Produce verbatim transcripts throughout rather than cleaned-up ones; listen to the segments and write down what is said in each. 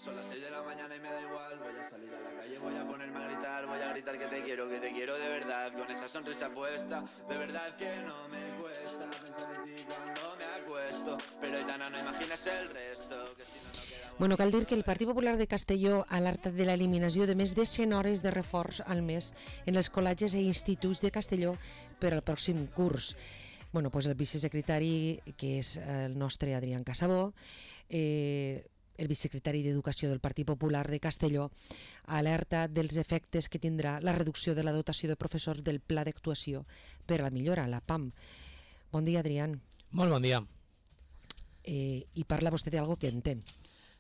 Son las seis de la mañana y me da igual. Voy a salir a la calle, voy a ponerme a gritar. Voy a gritar que te quiero, que te quiero de verdad. Con esa sonrisa puesta, de verdad que no me cuesta pensar en ti cuando me acuesto. Pero Aitana, no imaginas el resto, que si no, no queda... Bueno, cal dir que el Partit Popular de Castelló alerta de l'eliminació de més de cent hores de reforç al mes en els col·legis i instituts de Castelló per al pròxim curs. Bueno, pues el vicesecretari, que és el nostre Adrián Casabó, eh, el vicesecretari d'Educació del Partit Popular de Castelló, alerta dels efectes que tindrà la reducció de la dotació de professors del Pla d'Actuació per a la millora, la P A M. Bon dia, Adrián. Molt bon dia. Eh, I parla vostè d'algo que entén.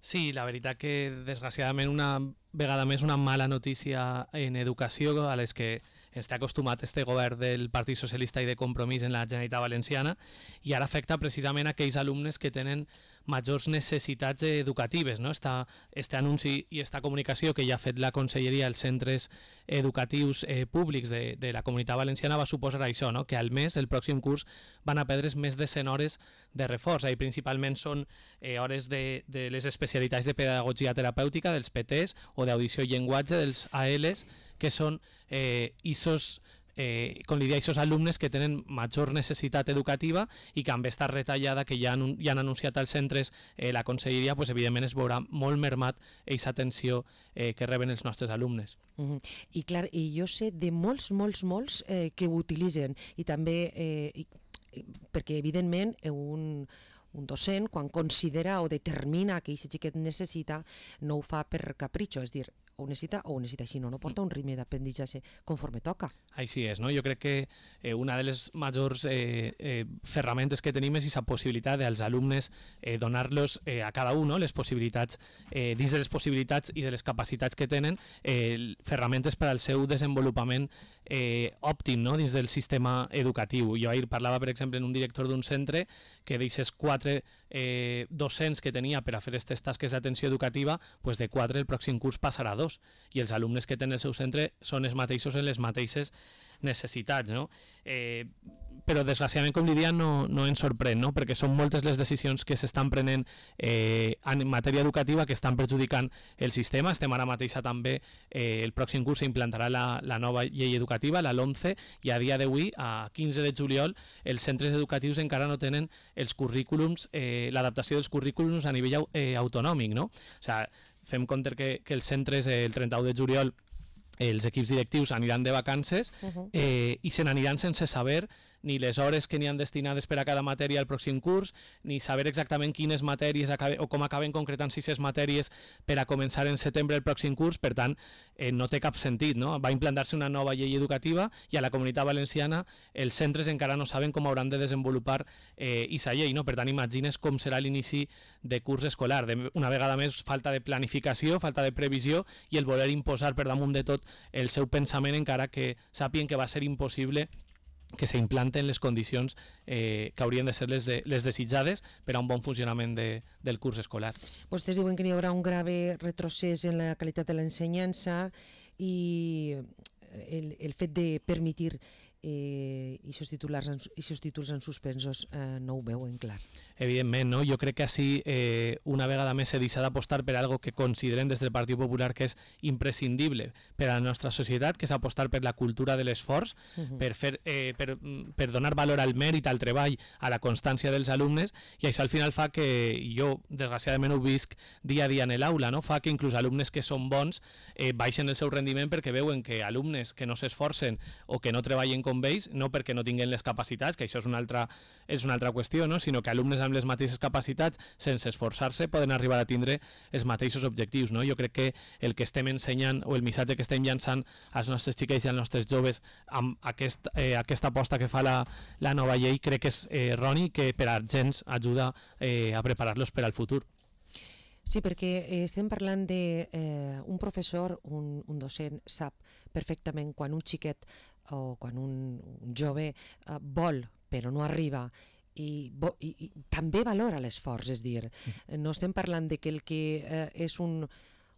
Sí, la veritat que desgraciadament una vegada més una mala notícia en educació a les que està acostumat este govern del Partit Socialista i de Compromís en la Generalitat Valenciana, i ara afecta precisament aquells alumnes que tenen majors necessitats educatives, no? Esta, este anunci i esta comunicació que ja ha fet la Conselleria als centres educatius eh, públics de, de la Comunitat Valenciana va suposar això, no? Que al mes, el pròxim curs, van a perdre's més de cent hores de reforç, i principalment són eh, hores de, de les especialitats de pedagogia terapèutica, dels P Ts, o d'audició i llenguatge, dels A Ls, que són eh, isos, eh, com li deia, isos alumnes que tenen major necessitat educativa i que amb esta retallada que ja han, ja han anunciat als centres eh, la Conselleria, pues, evidentment es veurà molt mermat aquesta atenció eh, que reben els nostres alumnes. Uh-huh. I clar, i jo sé de molts, molts, molts eh, que ho utilitzen, i també eh, i, perquè evidentment un, un docent quan considera o determina que aquest xiquet necessita no ho fa per capritxo, és dir, o ho necessita o ho necessita així, no, no porta un ritme d'aprenentatge conforme toca. Així és, no? Jo crec que eh, una de les majors eh, eh, ferramentes que tenim és aquesta possibilitat dels alumnes eh, donar-los eh, a cada un, no? Les possibilitats, eh, dins de les possibilitats i de les capacitats que tenen, eh, ferramentes per al seu desenvolupament eh, òptim, no? Dins del sistema educatiu. Jo ahir parlava, per exemple, en un director d'un centre que d'aquestes quatre eh, docents que tenia per a fer aquestes tasques d'atenció educativa, pues de quatre el pròxim curs passarà a dos, i els alumnes que tenen el seu centre són els mateixos en les mateixes necessitats, no? Eh, però desgraciadament, com li dia, no, no ens sorprèn, no? Perquè són moltes les decisions que s'estan prenent eh, en matèria educativa que estan perjudicant el sistema. Estem ara mateixa també, eh, el pròxim curs s'implantarà la, la nova llei educativa, la LOMCE, i a dia d'avui, a quinze de juliol, els centres educatius encara no tenen els currículums, eh, l'adaptació dels currículums a nivell eh, autonòmic, no? O sigui, fem compte que, que els centres eh, el trenta-u de juliol els equips directius aniran de vacances uh-huh. eh, i se n'aniran sense saber ni les hores que n'hi han destinades per a cada matèria al pròxim curs, ni saber exactament quines matèries acabe, o com acaben concretant sis matèries per a començar en setembre el pròxim curs. Per tant, eh, no té cap sentit, no? Va implantar-se una nova llei educativa i a la Comunitat Valenciana els centres encara no saben com hauran de desenvolupar eh, aquesta llei, no? Per tant, imagines com serà l'inici de curs escolar. De, una vegada més, falta de planificació, falta de previsió i el voler imposar per damunt de tot el seu pensament, encara que sàpien que va ser impossible que s'implanten les condicions eh, que haurien de ser les, de, les desitjades per a un bon funcionament de, del curs escolar. Vostès diuen que hi haurà un grave retrocés en la qualitat de l'ensenyança i el, el fet de permetir eh, aquests titulars, títols en suspensos eh, no ho veuen clar. Evidentment, no? Jo crec que així eh, una vegada més se deixa d'apostar per algo que considerem des del Partit Popular que és imprescindible per a la nostra societat, que és apostar per la cultura de l'esforç, uh-huh. per, fer, eh, per, per donar valor al mèrit, al treball, a la constància dels alumnes, i això al final fa que jo, desgraciadament, ho visc dia a dia en l'aula, no? Fa que inclús alumnes que són bons eh, baixen el seu rendiment perquè veuen que alumnes que no s'esforcen o que no treballen com ells, no perquè no tinguin les capacitats, que això és una altra, és una altra qüestió, no? Sinó que alumnes amb les mateixes capacitats, sense esforçar-se, poden arribar a tindre els mateixos objectius, no? Jo crec que el que estem ensenyant o el missatge que estem llançant als nostres xiquets i als nostres joves amb aquest, eh, aquesta aposta que fa la, la nova llei, crec que és eh, erroni, que per a gens ajuda eh, a preparar-los per al futur. Sí, perquè estem parlant de eh, un professor, un, un docent sap perfectament quan un xiquet o quan un, un jove eh, vol però no arriba i, bo, i, i també valora l'esforç, és dir, no estem parlant de que el que eh, és un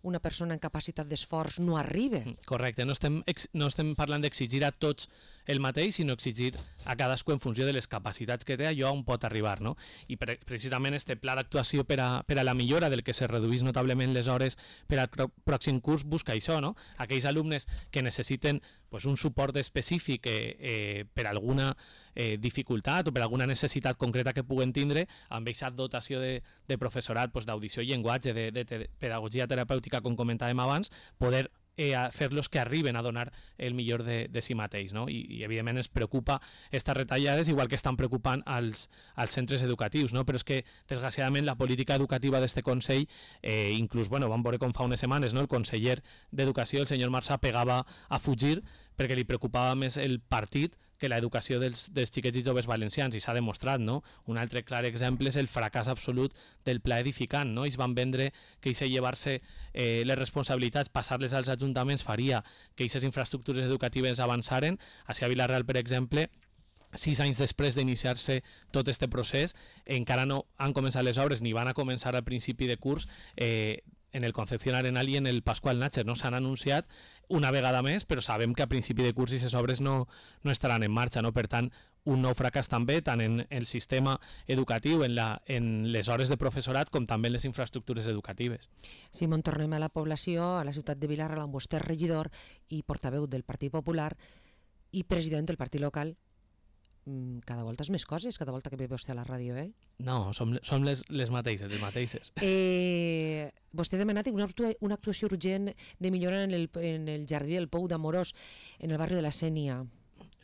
una persona en capacitat d'esforç no arriba. Correcte, no estem, ex, no estem parlant d'exigir a tots el mateix, sinó exigir a cadascú en funció de les capacitats que té allò on pot arribar, no? I pre precisament este pla d'actuació per, a, per a la millora del que se reduís notablement les hores per al pròxim curs busca això, no? Aquells alumnes que necessiten pues, un suport específic eh, eh, per alguna eh, dificultat o per alguna necessitat concreta que puguen tindre, amb aquesta dotació de, de professorat pues, d'audició i llenguatge, de, de, de pedagogia terapèutica, com comentàvem abans, poder eh, a fer-los que arriben a donar el millor de, de si mateix, no? I, i evidentment ens preocupa aquestes retallades, igual que estan preocupant als, als centres educatius, no? Però és que desgraciadament la política educativa d'este Consell, eh, inclús, bueno, vam veure com fa unes setmanes, no? El conseller d'Educació, el senyor Marsà, pegava a fugir perquè li preocupava més el partit que l'educació dels, dels xiquets i joves valencians, i s'ha demostrat, no? Un altre clar exemple és el fracàs absolut del pla edificant, no? Ells van vendre que això llevar-se eh, les responsabilitats, passar-les als ajuntaments, faria que aquestes infraestructures educatives avançaren. Així a Vila-real, per exemple, sis anys després d'iniciar-se tot este procés, encara no han començat les obres ni van a començar al principi de curs, eh, en el Concepción Arenal i en el Pascual Nácher, no? S'han anunciat una vegada més, però sabem que a principi de curs aquestes obres no, no estaran en marxa, no? Per tant, un nou fracàs també, tant en el sistema educatiu, en, la, en les hores de professorat, com també en les infraestructures educatives. Simón, tornem a la població, a la ciutat de Vila-real, amb vostè regidor i portaveu del Partit Popular i president del partit local. Cada volta és més coses, cada volta que ve vostè a la ràdio, eh? No, som, som les, les mateixes, les mateixes. Eh, vostè ha demanat una, actua, una actuació urgent de millora en el, en el jardí del Pou d'Amorós, en el barri de la Sénia.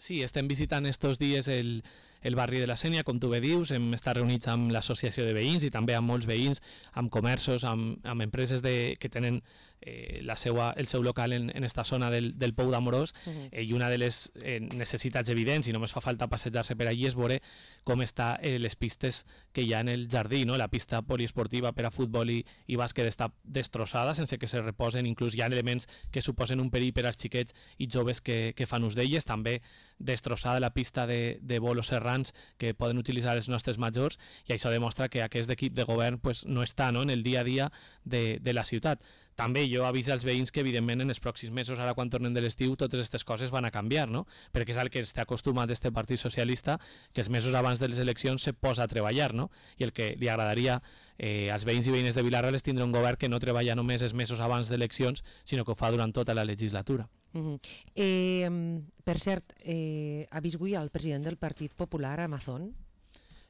Sí, estem visitant estos dies el, el barri de la Sénia, com tu bé dius, hem estat reunits amb l'associació de veïns i també amb molts veïns, amb comerços, amb, amb empreses de, que tenen eh, la seua, el seu local en, en esta zona del, del Pou d'Amorós, uh-huh. eh, i una de les eh, necessitats evidents, i només fa falta passejar-se per allí, és veure com està eh, les pistes que hi ha en el jardí, no? La pista poliesportiva per a futbol i, i bàsquet està destrossada, sense que se reposen, inclús hi ha elements que suposen un perill per als xiquets i joves que, que fan ús d'elles, també destrossada la pista de, de bolos serrans que poden utilitzar els nostres majors, i això demostra que aquest equip de govern pues, no està, no? En el dia a dia de, de la ciutat. També jo aviso als veïns que evidentment en els pròxims mesos, ara quan tornem de l'estiu, totes aquestes coses van a canviar, no? Perquè és el que està acostumat este Partit Socialista, que els mesos abans de les eleccions se posa a treballar, no? I el que li agradaria eh, als veïns i veïnes de Vila-real és tindre un govern que no treballa només els mesos abans d'eleccions, sinó que ho fa durant tota la legislatura. Uh-huh. eh, per cert, eh, ha vist avui el president del Partit Popular a Amazon?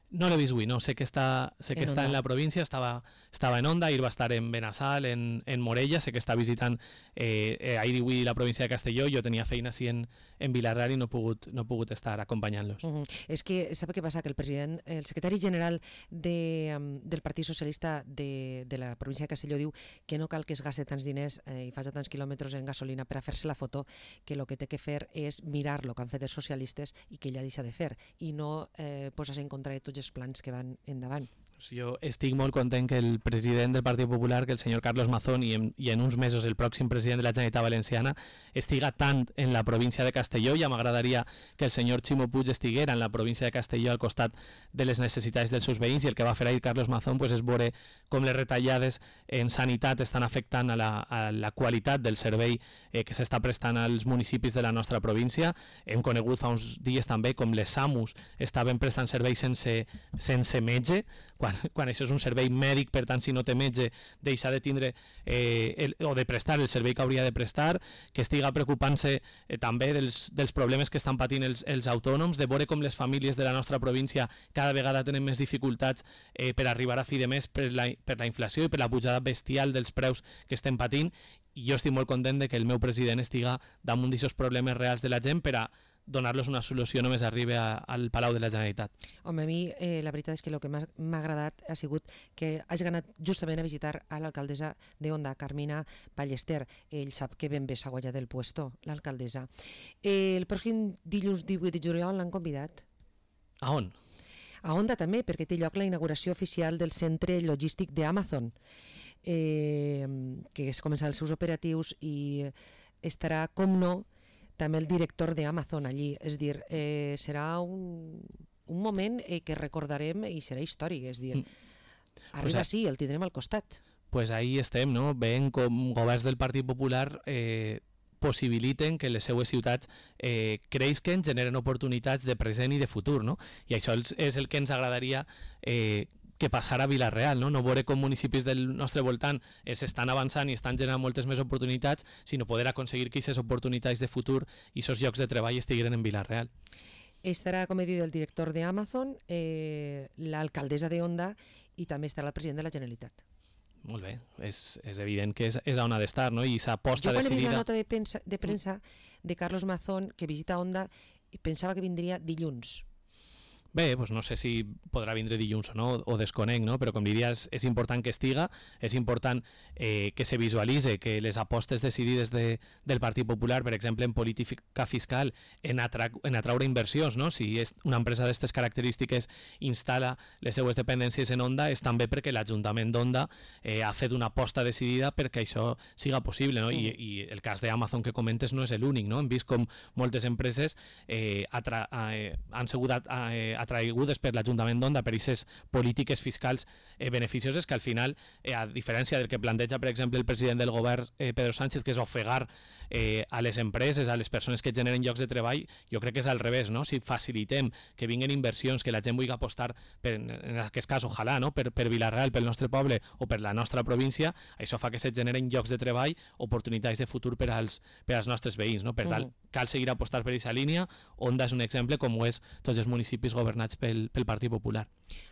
No l'he vist avui, no. Sé que està, sé que en està Onda. en la província, estava, estava en Onda, ahir va estar en Benassal, en, en Morella, sé que està visitant eh, eh, ahir i avui la província de Castelló. Jo tenia feina així en, en Vila-real i no he pogut, no he pogut estar acompanyant-los. Uh -huh. És que, sap què passa? Que el president, el secretari general de, um, del Partit Socialista de, de la província de Castelló diu que no cal que es gaste tants diners eh, i faci tants quilòmetres en gasolina per a fer-se la foto, que el que té que fer és mirar lo que han fet els socialistes i que ella deixa de fer, i no eh, posar-se en contra de tots els plans que van endavant. Jo estic molt content que el president del Partit Popular, que el senyor Carlos Mazón, i en, i en uns mesos el pròxim president de la Generalitat Valenciana, estiga tant en la província de Castelló. Ja m'agradaria que el senyor Ximo Puig estiguera en la província de Castelló al costat de les necessitats dels seus veïns, i el que va fer ahir Carlos Mazón pues, és veure com les retallades en sanitat estan afectant a la, a la qualitat del servei eh, que s'està prestant als municipis de la nostra província. Hem conegut fa uns dies també com les SAMUs estaven prestant serveis sense, sense metge, quan, quan això és un servei mèdic, per tant, si no té metge, deixa de tindre eh, el, o de prestar el servei que hauria de prestar, que estiga preocupant-se eh, també dels, dels problemes que estan patint els, els autònoms, de veure com les famílies de la nostra província cada vegada tenen més dificultats eh, per arribar a fi de mes per la, per la inflació i per la pujada bestial dels preus que estem patint. I jo estic molt content de que el meu president estiga damunt d'aquests problemes reals de la gent per a donar-los una solució només arribi a, al Palau de la Generalitat. Home, a mi eh, la veritat és que el que m'ha agradat ha sigut que hagi anat justament a visitar a l'alcaldessa d'Onda, Carmina Ballester. Ell sap que ben bé s'ha guanyat del puesto, l'alcaldessa. Eh, el pròxim dilluns divuit de juliol l'han convidat. A on? A Onda també, perquè té lloc la inauguració oficial del centre logístic d'Amazon, eh, que es començarà els seus operatius i estarà, com no, també el director d'Amazon allí. És dir, eh, serà un, un moment eh, que recordarem i serà històric. És dir, arriba pues, sí, el tindrem al costat. Pues ahí estem, no? Veient com governs del Partit Popular eh, possibiliten que les seues ciutats eh, creixen, generen oportunitats de present i de futur, no? I això és el que ens agradaria eh, que passara a Vila-real, no? No veure com municipis del nostre voltant s'estan avançant i estan generant moltes més oportunitats, sinó poder aconseguir que aquestes oportunitats de futur i aquests llocs de treball estiguin en Vila-real. Estarà, com he dit, el director d'Amazon, eh, l'alcaldessa de Onda i també estarà el president de la Generalitat. Molt bé, és, és evident que és, és on ha d'estar, no? I s'aposta decidida... Jo quan he vist la nota de premsa, de premsa de Carlos Mazón que visita Onda, pensava que vindria dilluns. Bé, doncs no sé si podrà vindre dilluns o no, o desconec, no? Però com diries, és important que estiga, és important eh, que se visualitze que les apostes decidides de, del Partit Popular, per exemple, en política fiscal, en, atra en atraure inversions, no? Si és una empresa d'aquestes característiques instal·la les seues dependències en Onda, és també perquè l'Ajuntament d'Onda eh, ha fet una aposta decidida perquè això siga possible, no? I, i el cas d'Amazon que comentes no és l'únic, no? Hem vist com moltes empreses eh, eh, han sigut eh, atraigudes per l'Ajuntament d'Onda per aquestes polítiques fiscals eh, beneficioses que al final, eh, a diferència del que planteja, per exemple, el president del govern, eh, Pedro Sánchez, que és ofegar eh, a les empreses, a les persones que generen llocs de treball, jo crec que és al revés, no? Si facilitem que vinguin inversions, que la gent vulgui apostar, per, en aquest cas, ojalà, no? per, per Vila-real, pel nostre poble o per la nostra província, això fa que se generen llocs de treball, oportunitats de futur per als, per als nostres veïns, no? Per tant, cal seguir apostar per aquesta línia. Onda és un exemple, com ho és tots els municipis governats pel, pel Partit Popular.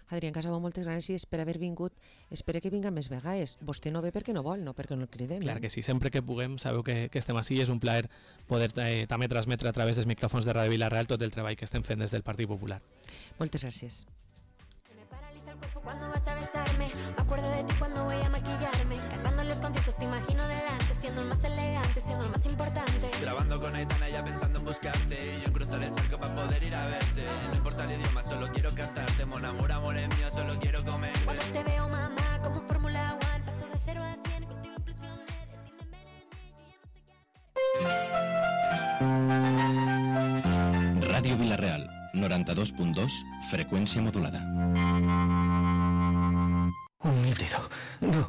Adrián Casabó, moltes gràcies per haver vingut. Espero que vinga més vegades. Vostè no ve perquè no vol, no perquè no el cridem. Clar que sí, sempre que puguem, sabeu que, que estem així. És un plaer poder eh, també transmetre a través dels micròfons de Ràdio Vila-real tot el treball que estem fent des del Partit Popular. Moltes gràcies. Cuando vas a besarme, me acuerdo de ti cuando voy a maquillarme. Cantando en los conciertos te imagino delante, siendo el más elegante, siendo el más importante. Grabando con Aitana ya pensando en buscarte, y yo en cruzar el charco para poder ir a verte. No importa el idioma, solo quiero cantarte. Mon amor, amor es mío, solo quiero comerte. Cuando te veo, mamá, como en Fórmula One, paso de cero a cien, contigo implosioné, de ti me envenené, y yo no sé qué. Ràdio Vila-real, noranta-dos punt dos, freqüència modulada. Un híbrido. No,